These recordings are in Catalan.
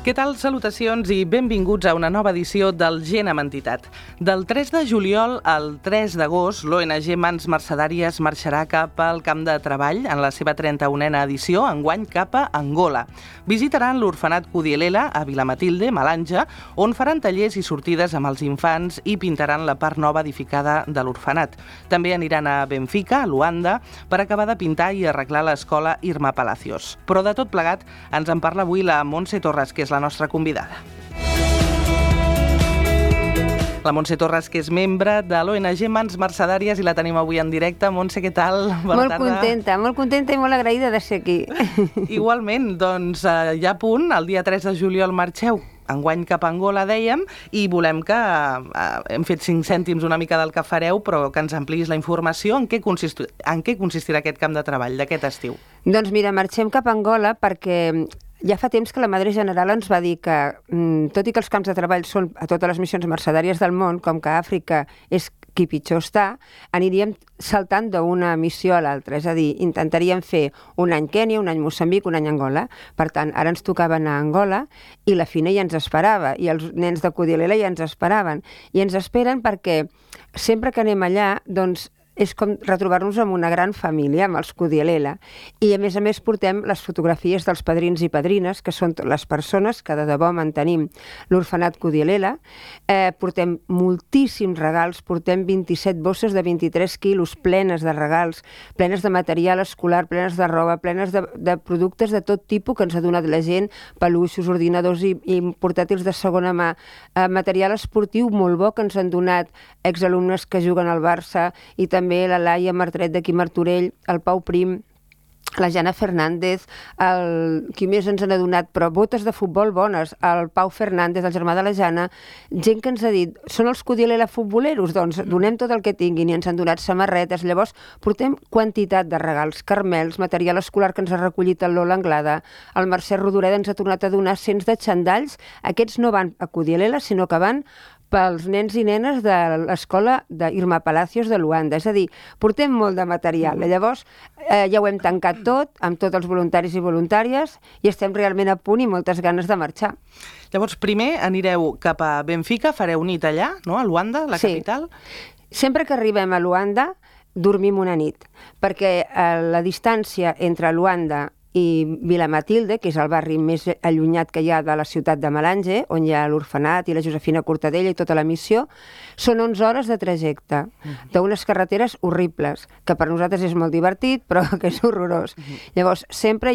Què tal? Salutacions i benvinguts a una nova edició del Gent amb Entitat. Del 3 de juliol al 3 d'agost, l'ONG Mans Mercedàries marxarà cap al camp de treball en la seva 31a edició, enguany cap a Angola. Visitaran l'orfenat Kudielela a Vilamatilde, Malanja, on faran tallers i sortides amb els infants i pintaran la part nova edificada de l'orfenat. També aniran a Benfica, a Luanda, per acabar de pintar i arreglar l'escola Irma Palacios. Però de tot plegat ens en parla avui la Montse Torres, que és la nostra convidada. La Montse Torres, que és membre de l'ONG Mans Mercedàries, i la tenim avui en directe. Montse, què tal? Molt contenta i molt agraïda de ser aquí. Igualment, doncs ja a punt, el dia 3 de juliol marxeu enguany cap a Angola, dèiem, i volem que hem fet 5 cèntims una mica del que fareu, però que ens ampliïs la informació. En què consistirà aquest camp de treball d'aquest estiu? Doncs mira, marxem cap a Angola perquè ja fa temps que la Madre General ens va dir que, tot i que els camps de treball són a totes les missions mercedàries del món, com que Àfrica és qui pitjor està, aniríem saltant d'una missió a l'altra. És a dir, intentaríem fer un any Kènia, un any Moçambic, un any Angola. Per tant, ara ens tocava anar a Angola i la Fina ja ens esperava, i els nens de Kudielela ja ens esperaven. I ens esperen perquè sempre que anem allà, doncs, és com retrobar-nos amb una gran família, amb els Kudielela. I a més portem les fotografies dels padrins i padrines, que són les persones que de debò mantenim l'orfenat Kudielela. Portem moltíssims regals, portem 27 bosses de 23 quilos plenes de regals, plenes de material escolar, plenes de roba, plenes de productes de tot tipus que ens ha donat la gent, peluixos, ordinadors i portàtils de segona mà, material esportiu molt bo que ens han donat exalumnes que juguen al Barça, i també la Laia Martret d'aquí Martorell, el Pau Prim, la Jana Fernández, qui més ens n'ha donat, però botes de futbol bones, el Pau Fernández, el germà de la Jana, gent que ens ha dit, són els Kudielela futboleros? Doncs donem tot el que tinguin, i ens han donat samarretes. Llavors portem quantitat de regals, carmels, material escolar que ens ha recollit el Lola Anglada, el Mercè Rodoreda ens ha tornat a donar cents de xandalls. Aquests no van a Kudielela, sinó que van pels nens i nenes de l'escola d'Irma Palacios de Luanda. És a dir, portem molt de material. Llavors, ja ho hem tancat tot, amb tots els voluntaris i voluntàries, i estem realment a punt i moltes ganes de marxar. Llavors, primer anireu cap a Benfica, fareu nit allà, no?, a Luanda, la capital? Sempre que arribem a Luanda, dormim una nit, perquè la distància entre Luanda i Vilamatilde, que és el barri més allunyat que hi ha de la ciutat de Malanje, on hi ha l'orfenat i la Josefina Cortadella i tota la missió, són 11 hores de trajecte, d'unes carreteres horribles, que per nosaltres és molt divertit, però que és horrorós. Llavors, sempre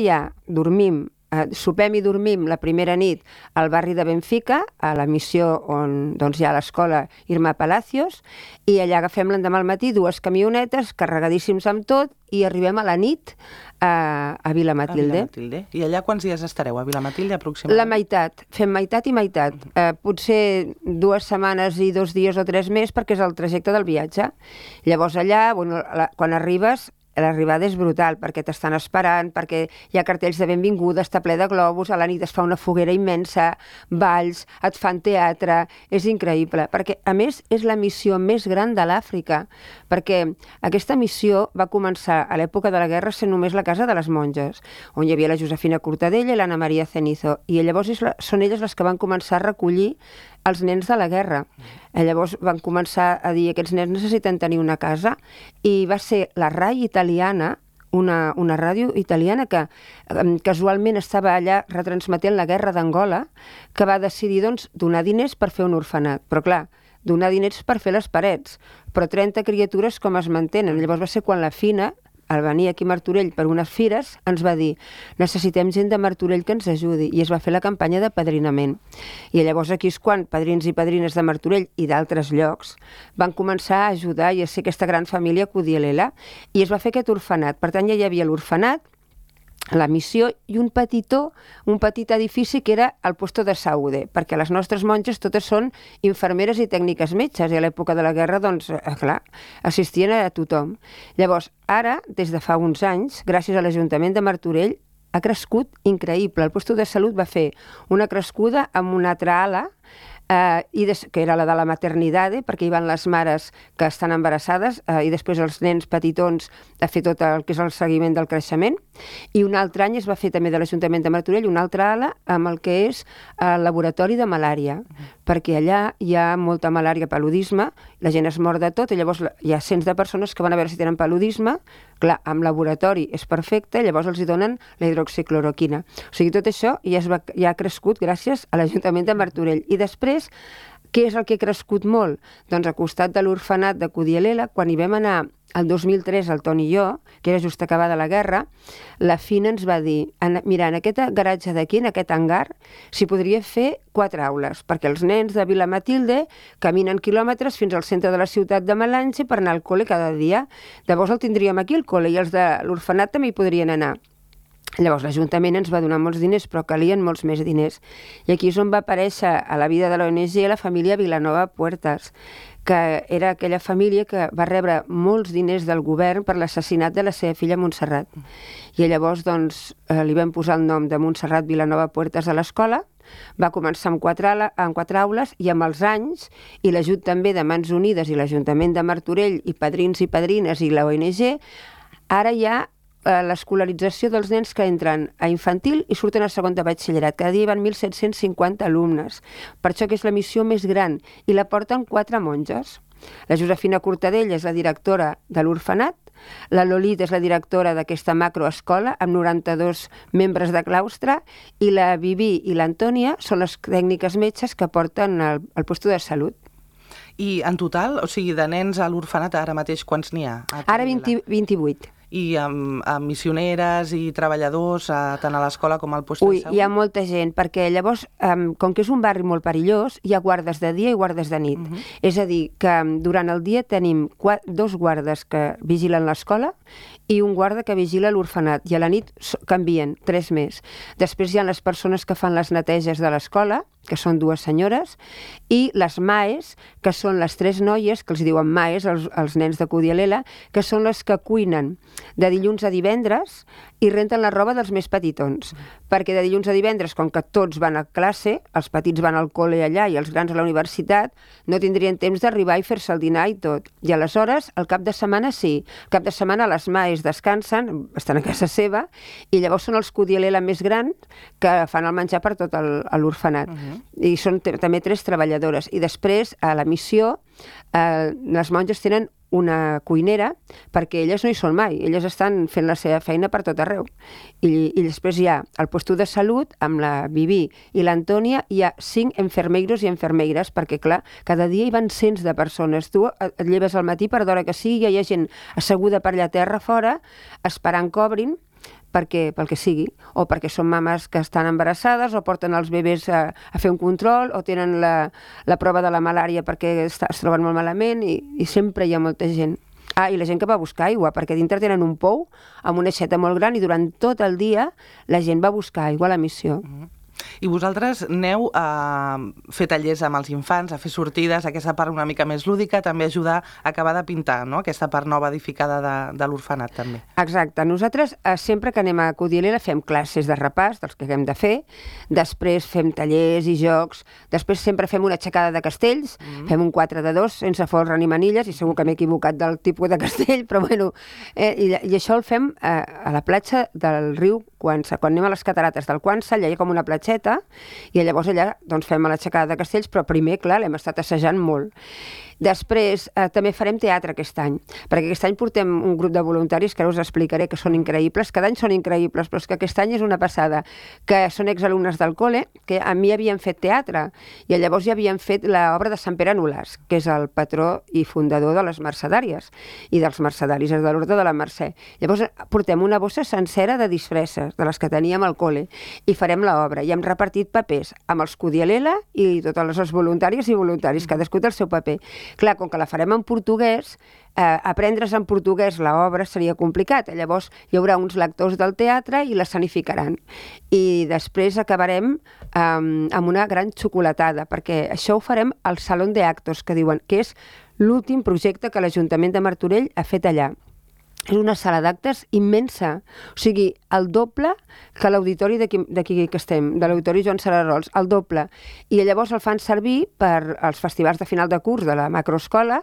sopem i dormim la primera nit al barri de Benfica, a la missió on hi ha l'escola Irma Palacios, i allà agafem l'endemà al matí 2 camionetes carregadíssims amb tot, i arribem a la nit a Vilamatilde. I allà quants dies estareu, a Vilamatilde, aproximadament? La meitat. Fem meitat i meitat. Potser 2 setmanes i 2 dies o 3 més, perquè és el trajecte del viatge. Llavors allà, quan arribes, l'arribada és brutal, perquè t'estan esperant, perquè hi ha cartells de benvinguda, està ple de globus, a la nit es fa una foguera immensa, balls, et fan teatre, és increïble, perquè a més és la missió més gran de l'Àfrica, perquè aquesta missió va començar a l'època de la guerra sent només la casa de les monges, on hi havia la Josefina Cortadella i l'Anna Maria Cenizo, i llavors són elles les que van començar a recollir els nens de la guerra. Llavors van començar a dir que aquests nens necessiten tenir una casa, i va ser la RAI italiana, una ràdio italiana que casualment estava allà retransmetent la guerra d'Angola, que va decidir donar diners per fer un orfenat. Però clar, donar diners per fer les parets, però 30 criatures com es mantenen. Llavors va ser quan la Fina, al venir aquí a Martorell per unes fires, ens va dir: necessitem gent de Martorell que ens ajudi, i es va fer la campanya de padrinament. I llavors aquí és quan padrins i padrines de Martorell i d'altres llocs van començar a ajudar i a ser aquesta gran família Kudielela, i es va fer aquest orfenat. Per tant, ja hi havia l'orfenat, la missió i un petit edifici que era el puesto de Saúde, perquè les nostres monges totes són infermeres i tècniques metges, i a l'època de la guerra, clar, assistien a tothom. Llavors, ara, des de fa uns anys, gràcies a l'Ajuntament de Martorell, ha crescut increïble. El puesto de salut va fer una crescuda amb una altra ala, que era la de la maternitat, perquè hi van les mares que estan embarassades i després els nens petitons a fer tot el que és el seguiment del creixement. I un altre any es va fer també de l'Ajuntament de Martorell una altra ala amb el que és el laboratori de malària, perquè allà hi ha molta malària, paludisme, la gent es mor de tot i llavors hi ha cents de persones que van a veure si tenen paludisme. Clar, amb laboratori és perfecte, llavors els hi donen la hidroxicloroquina. O sigui, tot això ja ha crescut gràcies a l'Ajuntament de Martorell. I després, què és el que ha crescut molt? Doncs al costat de l'orfenat de Cudielela, quan hi vam anar el 2003, el Toni i jo, que era just acabada la guerra, la Fina ens va dir, mira, en aquest garatge d'aquí, en aquest hangar, s'hi podria fer 4 aules, perquè els nens de Vila Matilde caminen quilòmetres fins al centre de la ciutat de Melange per anar al col·le cada dia. Llavors el tindríem aquí, el col·le, i els de l'orfenat també hi podrien anar. Llavors l'Ajuntament ens va donar molts diners, però calien molts més diners. I aquí és on va aparèixer a la vida de l'ONG la família Vilanova Puertas, que era aquella família que va rebre molts diners del govern per l'assassinat de la seva filla Montserrat. I llavors doncs, li vam posar el nom de Montserrat Vilanova Puertas a l'escola, va començar amb 4 aules i amb els anys, i l'ajut també de Mans Unides i l'Ajuntament de Martorell i padrins i padrines i la ONG, ara hi ha l'escolarització dels nens que entren a infantil i surten a segon de batxillerat. Cada dia hi van 1.750 alumnes. Per això que és la missió més gran i la porten 4 monges. La Josefina Cortadell és la directora de l'orfenat, la Lolit és la directora d'aquesta macroescola amb 92 membres de claustre i la Vivi i l'Antònia són les tècniques metges que porten el puesto de salut. I en total, o sigui, de nens a l'orfenat ara mateix quants n'hi ha? Ara 28. I amb missioneres i treballadors tant a l'escola com al lloc de salut? Hi ha molta gent, perquè llavors, com que és un barri molt perillós, hi ha guardes de dia i guardes de nit. És a dir, que durant el dia tenim 2 guardes que vigilen l'escola i un guarda que vigila l'orfenat, i a la nit canvien 3 més. Després hi ha les persones que fan les neteges de l'escola, que són 2 senyores, i les maes, que són les 3 noies, que els diuen maes, els nens de Cudielela, que són les que cuinen de dilluns a divendres i renten la roba dels més petitons. Perquè de dilluns a divendres, com que tots van a classe, els petits van al col·le allà i els grans a la universitat, no tindrien temps d'arribar i fer-se el dinar i tot. I aleshores, el cap de setmana sí. El cap de setmana les maes descansen, estan a casa seva, i llavors són els Cudielela més grans que fan el menjar per tot l'orfenat. I són també 3 treballadores. I després, a la missió, les monges tenen una cuinera, perquè elles no hi són mai, elles estan fent la seva feina per tot arreu. I després hi ha el puesto de salut, amb la Vivi i l'Antònia, hi ha 5 enfermeiros i enfermeires, perquè clar, cada dia hi van cents de persones. Tu et lleves al matí per d'hora que sigui, hi ha gent asseguda per allà a terra fora, esperant que obrin, pel que sigui, o perquè són mames que estan embarassades, o porten els bebès a fer un control, o tenen la prova de la malària perquè es troben molt malament, i sempre hi ha molta gent. I la gent que va a buscar aigua, perquè dintre tenen un pou amb una aixeta molt gran i durant tot el dia la gent va a buscar aigua a la missió. I vosaltres aneu a fer tallers amb els infants, a fer sortides, aquesta part una mica més lúdica, també ajudar a acabar de pintar, no?, aquesta part nova edificada de l'orfenat, també. Exacte. Nosaltres sempre que anem a Cudielela fem classes de repàs dels que hem de fer, després fem tallers i jocs, després sempre fem una aixecada de castells, fem un 4 de 2 sense folre ni manilles, i segur que m'he equivocat del tipus de castell, però bueno, i això el fem a la platja del riu Quansa. Quan anem a les catarates del Quansa, allà hi ha com una platgeta, i llavors allà doncs, fem l'aixecada de castells, però primer, clar, l'hem estat assajant molt. Després també farem teatre aquest any, perquè aquest any portem un grup de voluntaris que ara us explicaré que són increïbles, cada any són increïbles, però és que aquest any és una passada, que són exalumnes del col·le, que a mi havien fet teatre, i llavors ja havien fet l'obra de Sant Pere Nolàs, que és el patró i fundador de les mercedàries, i dels mercedaris, és de l'Orde de la Mercè. Llavors portem una bossa sencera de disfresses, de les que teníem al col·le, i farem l'obra, i hem repartit papers amb els Cudielela i totes les voluntàries i voluntaris, cadascú té el seu paper. Clar, com que la farem en portuguès, aprendre's en portuguès l'obra seria complicat. Llavors hi haurà uns lectors del teatre i l'escenificaran. I després acabarem amb una gran xocolatada, perquè això ho farem al Salón de Actos, que diuen que és l'últim projecte que l'Ajuntament de Martorell ha fet allà. és una sala d'actes immensa, o sigui, el doble que l'auditori d'aquí que estem, de l'auditori Joan Sararols, el doble. I llavors el fan servir per als festivals de final de curs de la macroescola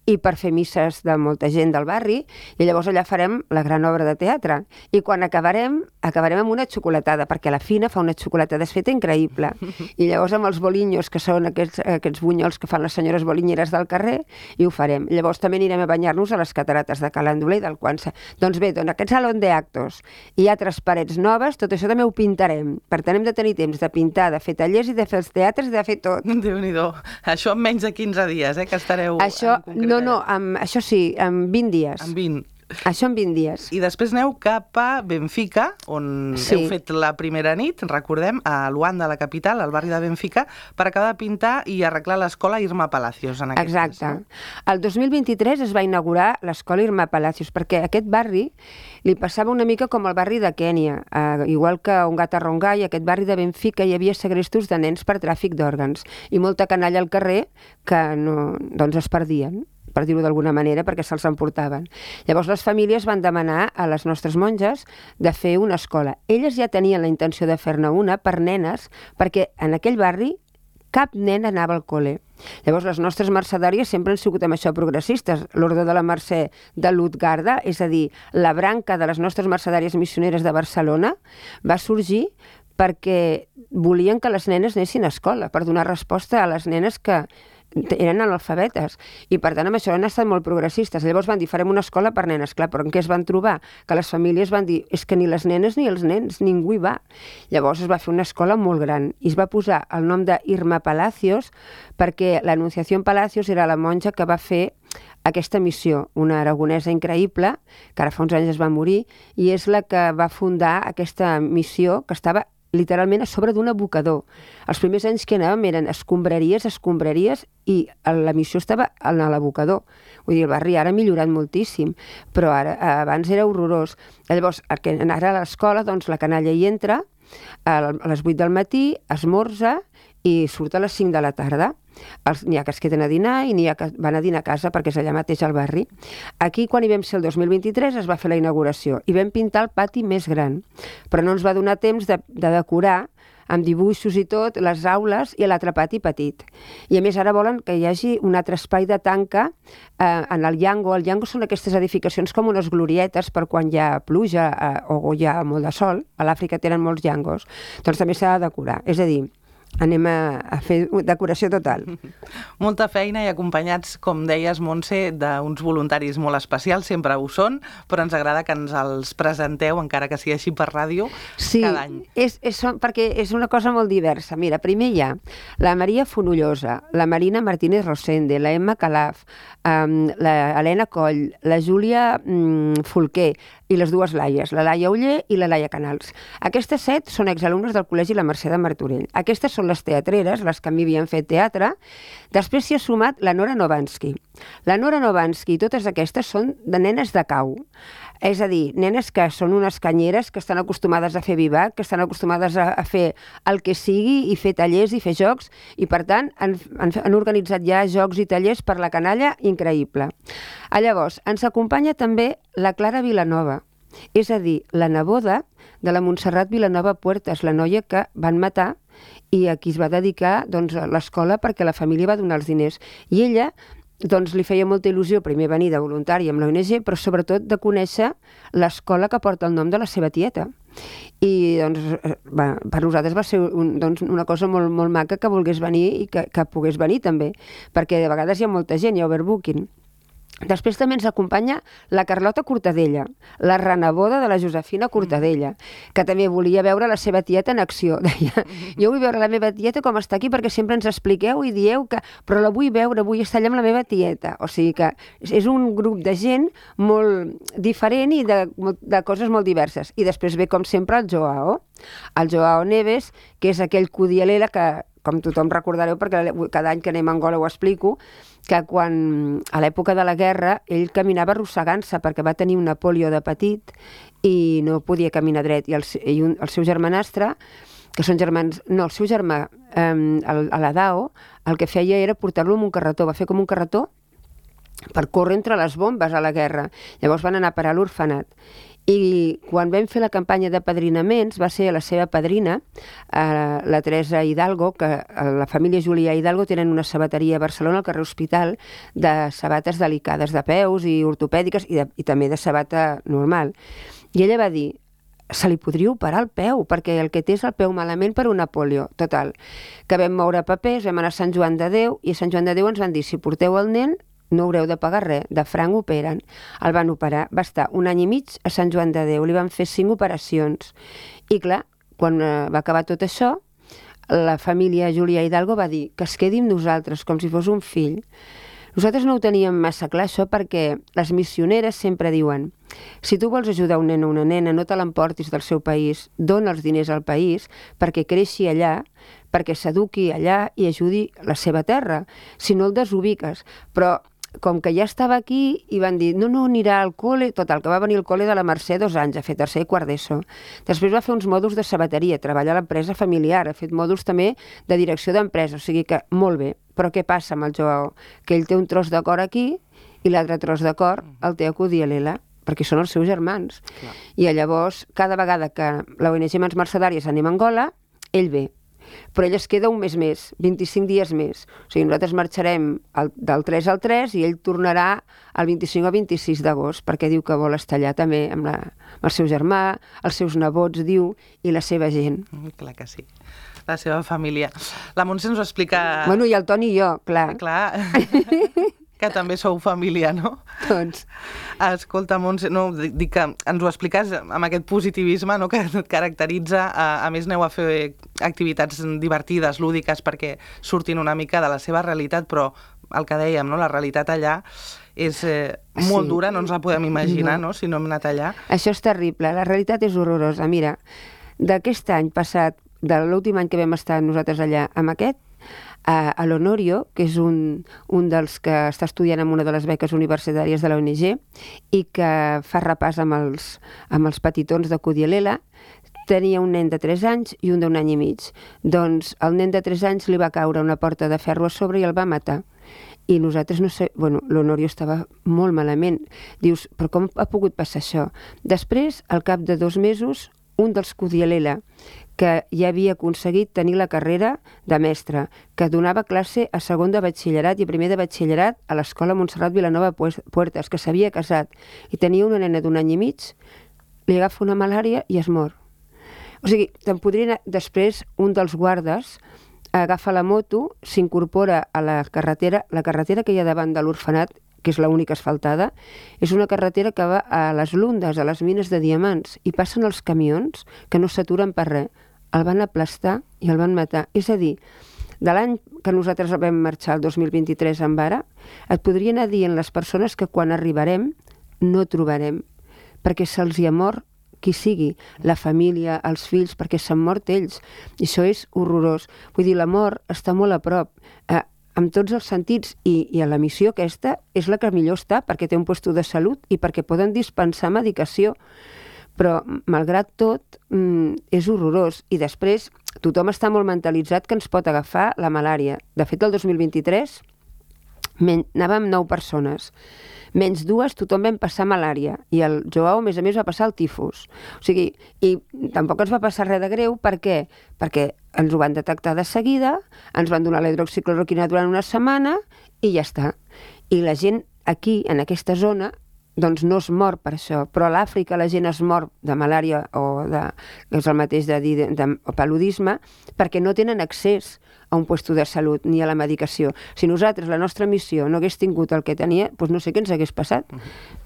i per fer misses de molta gent del barri, i llavors allà farem la gran obra de teatre. I quan acabarem amb una xocolatada, perquè la Fina fa una xocolatada feta increïble. I llavors amb els bolinyos, que són aquests bunyols que fan les senyores bolinyeres del carrer, i ho farem. Llavors també anirem a banyar-nos a les catarates de Calandoler i del Quansa. Doncs bé, aquest salón d'actos i altres parets noves, tot això també ho pintarem. Per tant, hem de tenir temps de pintar, de fer tallers i de fer els teatres i de fer tot. Déu-n'hi-do. Això en menys de 15 dies, que estareu això, en concret. No, això sí, en 20 dies. En 20. Això en 20 dies. I després aneu cap a Benfica, on heu fet la primera nit, recordem, a Luanda, la capital, al barri de Benfica, per acabar de pintar i arreglar l'escola Irma Palacios. Exacte. El 2023 es va inaugurar l'escola Irma Palacios, perquè a aquest barri li passava una mica com el barri de Kènia. Igual que a Ongata-Rongai, aquest barri de Benfica hi havia segrestos de nens per tràfic d'òrgans i molta canalla al carrer que es perdien, per dir-ho d'alguna manera, perquè se'ls emportaven. Llavors les famílies van demanar a les nostres monges de fer una escola. Elles ja tenien la intenció de fer-ne una per nenes, perquè en aquell barri cap nen anava al col·le. Llavors les nostres mercedàries sempre han sigut amb això progressistes. L'Ordre de la Mercè de Lutgarda, és a dir, la branca de les nostres mercedàries missioneres de Barcelona, va sorgir perquè volien que les nenes anessin a escola, per donar resposta a les nenes que eren analfabetes, i per tant amb això han estat molt progressistes. Llavors van dir, farem una escola per nenes, clar, però en què es van trobar? Que les famílies van dir, és que ni les nenes ni els nens, ningú hi va. Llavors es va fer una escola molt gran i es va posar el nom de Irma Palacios perquè l'Anunciació Palacios era la monja que va fer aquesta missió, una aragonesa increïble, que ara fa uns anys es va morir, i és la que va fundar aquesta missió que estava literalment a sobre d'un abocador. Els primers anys que anàvem eren escombraries, i la missió estava en l'abocador. Vull dir, el barri ara ha millorat moltíssim, però abans era horrorós. Llavors, ara a l'escola, doncs la canalla hi entra a les 8 del matí, esmorza i surt a les 5 de la tarda. N'hi ha que es queden a dinar i n'hi ha que van a dinar a casa perquè és allà mateix al barri. Aquí, quan hi vam ser el 2023, es va fer la inauguració i vam pintar el pati més gran, però no ens va donar temps de decorar amb dibuixos i tot, les aules i l'altre pati petit. I a més ara volen que hi hagi un altre espai de tanca en el Llango. El Llango són aquestes edificacions com unes glorietes per quan hi ha pluja o hi ha molt de sol. A l'Àfrica tenen molts llangos. Doncs també s'ha de decorar. És a dir, anem a fer decoració total. Molta feina i acompanyats, com deies, Montse, d'uns voluntaris molt especials, sempre ho són, però ens agrada que ens els presenteu, encara que sigui així per ràdio, cada any. Sí, perquè és una cosa molt diversa. Mira, primer hi ha la Maria Fonollosa, la Marina Martínez Rosende, la Emma Calaf, la Helena Coll, la Júlia Folquer i les dues Laies, la Laia Uller i la Laia Canals. Aquestes 7 són exalumnes del Col·legi La Mercè de Martorell. Aquestes són les teatreres, les que a mi havien fet teatre. Després s'hi ha sumat la Nora Novansky. La Nora Novansky i totes aquestes són de nenes de cau. És a dir, nenes que són unes canyeres, que estan acostumades a fer vivac, que estan acostumades a fer el que sigui i fer tallers i fer jocs, i per tant han organitzat ja jocs i tallers per la canalla increïble. Llavors, ens acompanya també la Clara Vilanova, és a dir, la neboda de la Montserrat Vilanova Puertas, la noia que van matar i a qui es va dedicar l'escola perquè la família va donar els diners. I ella li feia molta il·lusió primer venir de voluntària amb l'ONG, però sobretot de conèixer l'escola que porta el nom de la seva tieta. I per nosaltres va ser una cosa molt, molt maca que volgués venir i que pogués venir també, perquè de vegades hi ha molta gent, hi ha overbooking. Després també ens acompanya la Carlota Cortadella, la reneboda de la Josefina Cortadella, que també volia veure la seva tieta en acció. Deia, jo vull veure la meva tieta com està aquí perquè sempre ens expliqueu i dieu que... Però la vull veure, vull estar allà amb la meva tieta. O sigui que és un grup de gent molt diferent i de coses molt diverses. I després ve, com sempre, el Joao Neves, que és aquell cudialera que, com tothom recordareu, perquè cada any que anem a Angola ho explico, que quan, a l'època de la guerra, ell caminava arrossegant-se perquè va tenir una pòlio de petit i no podia caminar dret. I el seu germanastre, que són germans... No, el seu germà, l'Adao, el que feia era portar-lo amb un carretó. Va fer com un carretó per córrer entre les bombes a la guerra. Llavors van anar a parar a l'orfenat. I quan vam fer la campanya de padrinaments va ser la seva padrina, la Teresa Hidalgo, que la família Julià Hidalgo tenen una sabateria a Barcelona, al carrer Hospital, de sabates delicades, de peus i ortopèdiques i també de sabata normal. I ella va dir, se li podria operar el peu, perquè el que té és el peu malament per una polio. Total, que vam moure papers, vam anar a Sant Joan de Déu, i a Sant Joan de Déu ens van dir, si porteu el nen, no haureu de pagar res, de franc operen. El van operar, va estar 1 any i mig a Sant Joan de Déu, li van fer 5 operacions. I clar, quan va acabar tot això, la família Julià Hidalgo va dir que es quedi amb nosaltres, com si fos un fill. Nosaltres no ho teníem massa clar, això, perquè les missioneres sempre diuen si tu vols ajudar un nen o una nena, no te l'emportis del seu país, dona els diners al país perquè creixi allà, perquè s'eduqui allà i ajudi la seva terra. Si no el desubiques. Però com que ja estava aquí i van dir, no, anirà al col·le, total, que va venir al col·le de la Mercè 2 anys, a fer tercer i quart d'ESO. Després va fer uns mòduls de sabateria, treballa a l'empresa familiar, ha fet mòduls també de direcció d'empresa, o sigui que molt bé. Però què passa amb el Joao? Que ell té un tros de cor aquí i l'altre tros de cor el té a Cudielela, perquè són els seus germans. Clar. I llavors, cada vegada que l'ONG Mans Mercedàries anem a Angola, ell ve. Però ell es queda un mes més, 25 dies més. O sigui, nosaltres marxarem del 3 al 3 i ell tornarà el 25 o 26 d'agost, perquè diu que vol estar allà també amb el seu germà, els seus nebots, diu, i la seva gent. Clar que sí. La seva família. La Montse ens ho explica... Bueno, i el Toni i jo, clar. Clar, que també sou família, no? Tots. Escolta, Montse, no, dic que ens ho expliques amb aquest positivisme, no?, que et caracteritza. A més, aneu a fer activitats divertides, lúdiques, perquè surtin una mica de la seva realitat, però el que dèiem, no?, la realitat allà és molt dura, no ens la podem imaginar, no?, si no hem anat allà. Això és terrible, la realitat és horrorosa. Mira, d'aquest any passat, de l'últim any que vam estar nosaltres allà amb aquest, a l'Honorio, que és un dels que està estudiant amb una de les beques universitàries de la ONG i que fa repàs amb els petitons de Cudielela, tenia un nen de 3 anys i un d'1 any i mig. Doncs el nen de 3 anys li va caure una porta de ferro a sobre i el va matar. I nosaltres no sé... Bueno, l'Honorio estava molt malament. Dius, però com ha pogut passar això? Després, al cap de 2 mesos, un dels Cudielela, que ja havia aconseguit tenir la carrera de mestre, que donava classe a segon de batxillerat i primer de batxillerat a l'Escola Montserrat Vilanova Puertas, que s'havia casat i tenia una nena d'1 any i mig, li agafa una malària i es mor. O sigui, te'n podria anar... Després, un dels guardes agafa la moto, s'incorpora a la carretera que hi ha davant de l'orfenat, que és l'única asfaltada, és una carretera que va a les Lundes, a les mines de diamants, i passen els camions que no s'aturen per res. El van aplastar i el van matar. És a dir, de l'any que nosaltres vam marxar, el 2023, amb ara, et podria anar dient les persones que quan arribarem no trobarem, perquè se'ls hi ha mort qui sigui, la família, els fills, perquè s'han mort ells. I això és horrorós. Vull dir, la mort està molt a prop, amb tots els sentits, i a la missió aquesta és la que millor està, perquè té un lloc de salut i perquè poden dispensar medicació. Però, malgrat tot, és horrorós. I després, tothom està molt mentalitzat que ens pot agafar la malària. De fet, el 2023 anàvem 9 persones. Menys 2, tothom vam passar malària. I el Joao, a més, va passar el tifus. O sigui, i tampoc ens va passar res de greu. Per què? Perquè ens ho van detectar de seguida, ens van donar la hidroxicloroquina durant una setmana i ja està. I la gent aquí, en aquesta zona, doncs no es mor per això, però a l'Àfrica la gent es mor de malària o que és el mateix de paludisme perquè no tenen accés a un lloc de salut ni a la medicació. Si nosaltres, la nostra missió, no hagués tingut el que tenia, doncs no sé què ens hagués passat,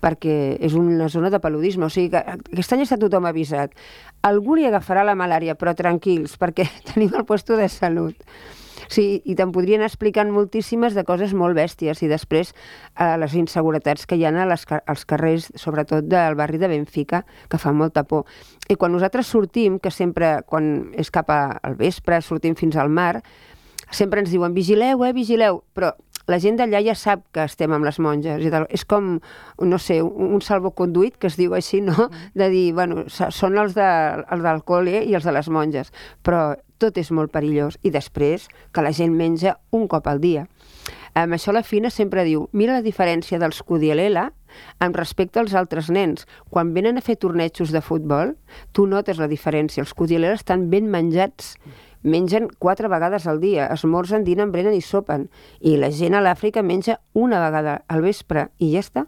perquè és una zona de paludisme. O sigui que aquest any està tothom avisat. Algú li agafarà la malària, però tranquils, perquè tenim el lloc de salut. Sí, i te'n podrien explicar moltíssimes de coses molt bèsties i després les inseguretats que hi ha als carrers, sobretot del barri de Benfica, que fa molta por. I quan nosaltres sortim, que sempre, quan és cap al vespre, sortim fins al mar, sempre ens diuen vigileu, vigileu, però la gent d'allà ja sap que estem amb les monges i tal. És com, no sé, un salvoconduit, que es diu així, no? De dir, bueno, són els del col·le i els de les monges, però tot és molt perillós. I després que la gent menja un cop al dia. Amb això la Fina sempre diu, mira la diferència dels Kudielela amb respecte als altres nens. Quan venen a fer tornejos de futbol, tu notes la diferència. Els Kudielela estan ben menjats, mengen 4 vegades al dia, esmorzen, dinen, brenen i sopen. I la gent a l'Àfrica menja una vegada al vespre i ja està.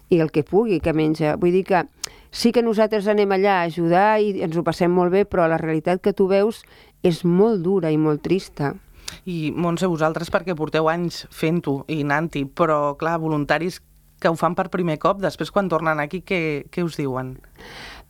I el que pugui que menja. Vull dir que sí que nosaltres anem allà a ajudar i ens ho passem molt bé, però la realitat que tu veus és molt dura i molt trista. I, Montse, vosaltres perquè porteu anys fent-ho i anant-hi, però, clar, voluntaris que ho fan per primer cop, després quan tornen aquí, què us diuen?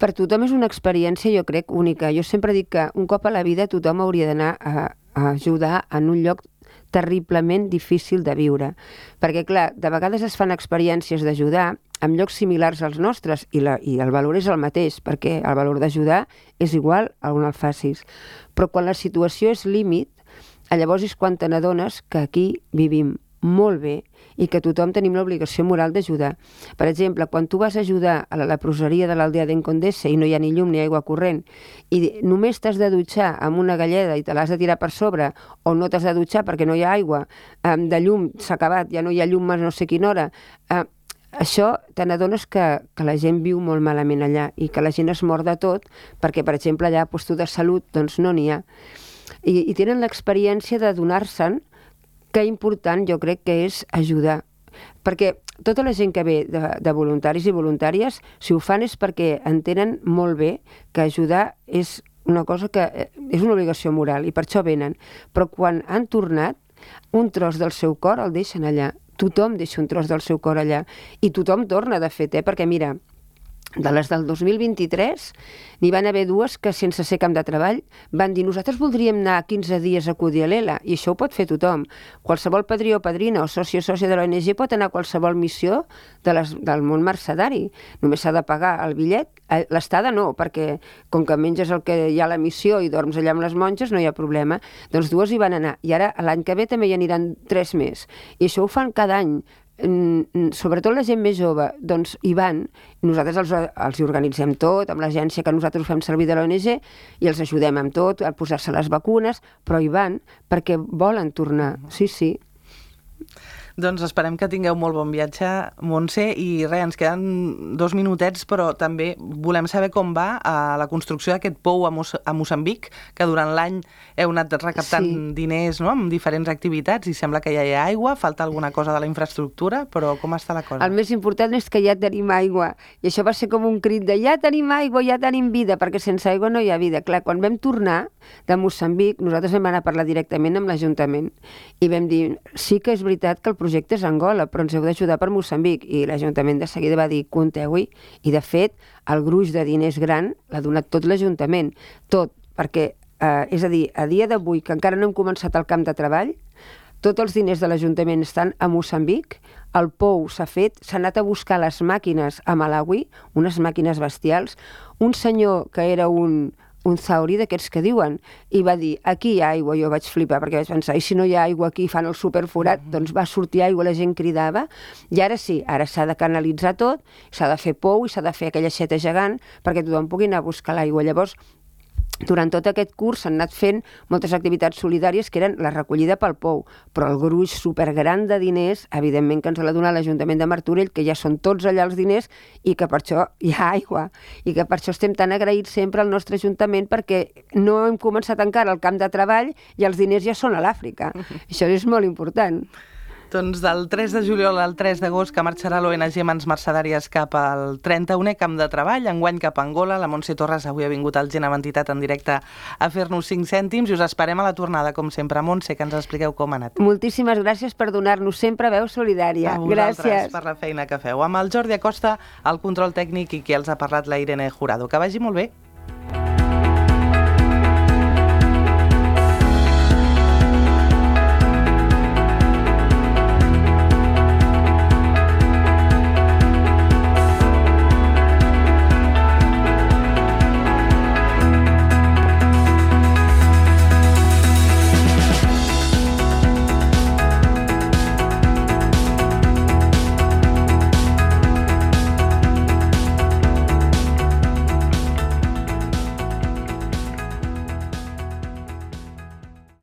Per tothom és una experiència, jo crec, única. Jo sempre dic que un cop a la vida tothom hauria d'anar a ajudar en un lloc terriblement difícil de viure. Perquè, clar, de vegades es fan experiències d'ajudar en llocs similars als nostres i el valor és el mateix, perquè el valor d'ajudar és igual a on el facis. Però quan la situació és límit, llavors és quan te n'adones que aquí vivim molt bé i que tothom tenim l'obligació moral d'ajudar. Per exemple, quan tu vas a ajudar a la leproseria de l'aldea d'Encondessa i no hi ha ni llum ni aigua corrent i només t'has de dutxar amb una galleda i te l'has de tirar per sobre o no t'has de dutxar perquè no hi ha aigua, de llum s'ha acabat, ja no hi ha llum a no sé quina hora, això te n'adones que la gent viu molt malament allà i que la gent es mor de tot perquè, per exemple, allà a puesto de salut doncs no n'hi ha. I tenen l'experiència de donar-se'n, que important jo crec que és ajudar. Perquè tota la gent que ve de voluntaris i voluntàries, si ho fan és perquè entenen molt bé que ajudar és una cosa que és una obligació moral i per això venen. Però quan han tornat, un tros del seu cor el deixen allà. Tothom deixa un tros del seu cor allà. I tothom torna, de fet, perquè mira, de les del 2023, n'hi van haver 2 que sense ser camp de treball van dir nosaltres voldríem anar 15 dies a Kudielela i això ho pot fer tothom. Qualsevol padrí o padrina o soci o sòcia de l'ONG pot anar a qualsevol missió del món mercedari. Només s'ha de pagar el bitllet, l'estada no, perquè com que menges el que hi ha a la missió i dorms allà amb les monges no hi ha problema. Doncs 2 hi van anar i ara l'any que ve també hi aniran 3 més. I això ho fan cada any. Sobretot la gent més jove, doncs hi van, nosaltres els hi organitzem tot, amb l'agència que nosaltres fem servir de l'ONG, i els ajudem amb tot, a posar-se les vacunes, però hi van perquè volen tornar, sí, sí. Doncs esperem que tingueu molt bon viatge, Montse, i res, ens queden 2 minutets, però també volem saber com va la construcció d'aquest pou a Moçambic, que durant l'any heu anat recaptant diners, no?, amb diferents activitats, i sembla que ja hi ha aigua, falta alguna cosa de la infraestructura, però com està la cosa? El més important és que ja tenim aigua, i això va ser com un crit de ja tenim aigua, ja tenim vida, perquè sense aigua no hi ha vida. Clar, quan vam tornar de Moçambic, nosaltres vam anar a parlar directament amb l'Ajuntament, i vam dir, sí que és veritat que el projecte és Angola, però ens heu d'ajudar per Moçambic. I l'Ajuntament de seguida va dir, compteu-hi, i de fet, el gruix de diners gran l'ha donat tot l'Ajuntament. Tot, perquè, és a dir, a dia d'avui, que encara no hem començat el camp de treball, tots els diners de l'Ajuntament estan a Moçambic, el pou s'ha fet, s'ha anat a buscar les màquines a Malawi, unes màquines bestials. Un senyor que era un zauri d'aquests que diuen, i va dir, aquí hi ha aigua. Jo vaig flipar, perquè vaig pensar, i si no hi ha aigua aquí, fan el superforat, doncs va sortir aigua, la gent cridava, i ara sí, ara s'ha de canalitzar tot, s'ha de fer pou i s'ha de fer aquella aixeta gegant perquè tothom pugui anar a buscar l'aigua. Llavors, durant tot aquest curs s'han anat fent moltes activitats solidàries que eren la recollida pel pou, però el gruix supergran de diners, evidentment que ens l'ha donat l'Ajuntament de Martorell, que ja són tots allà els diners i que per això hi ha aigua, i que per això estem tan agraïts sempre al nostre Ajuntament, perquè no hem començat encara el camp de treball i els diners ja són a l'Àfrica. Això és molt important. Doncs del 3 de juliol al 3 d'agost que marxarà l'ONG Mans Mercedàries cap al 31è camp de treball, enguany cap a Angola. La Montse Torres avui ha vingut al Gent amb Entitat en directe a fer-nos 5 cèntims i us esperem a la tornada, com sempre. Montse, que ens expliqueu com ha anat. Moltíssimes gràcies per donar-nos sempre veu solidària. A vosaltres, gràcies per la feina que feu. Amb el Jordi Acosta, el control tècnic, i qui els ha parlat, la Irene Jurado. Que vagi molt bé.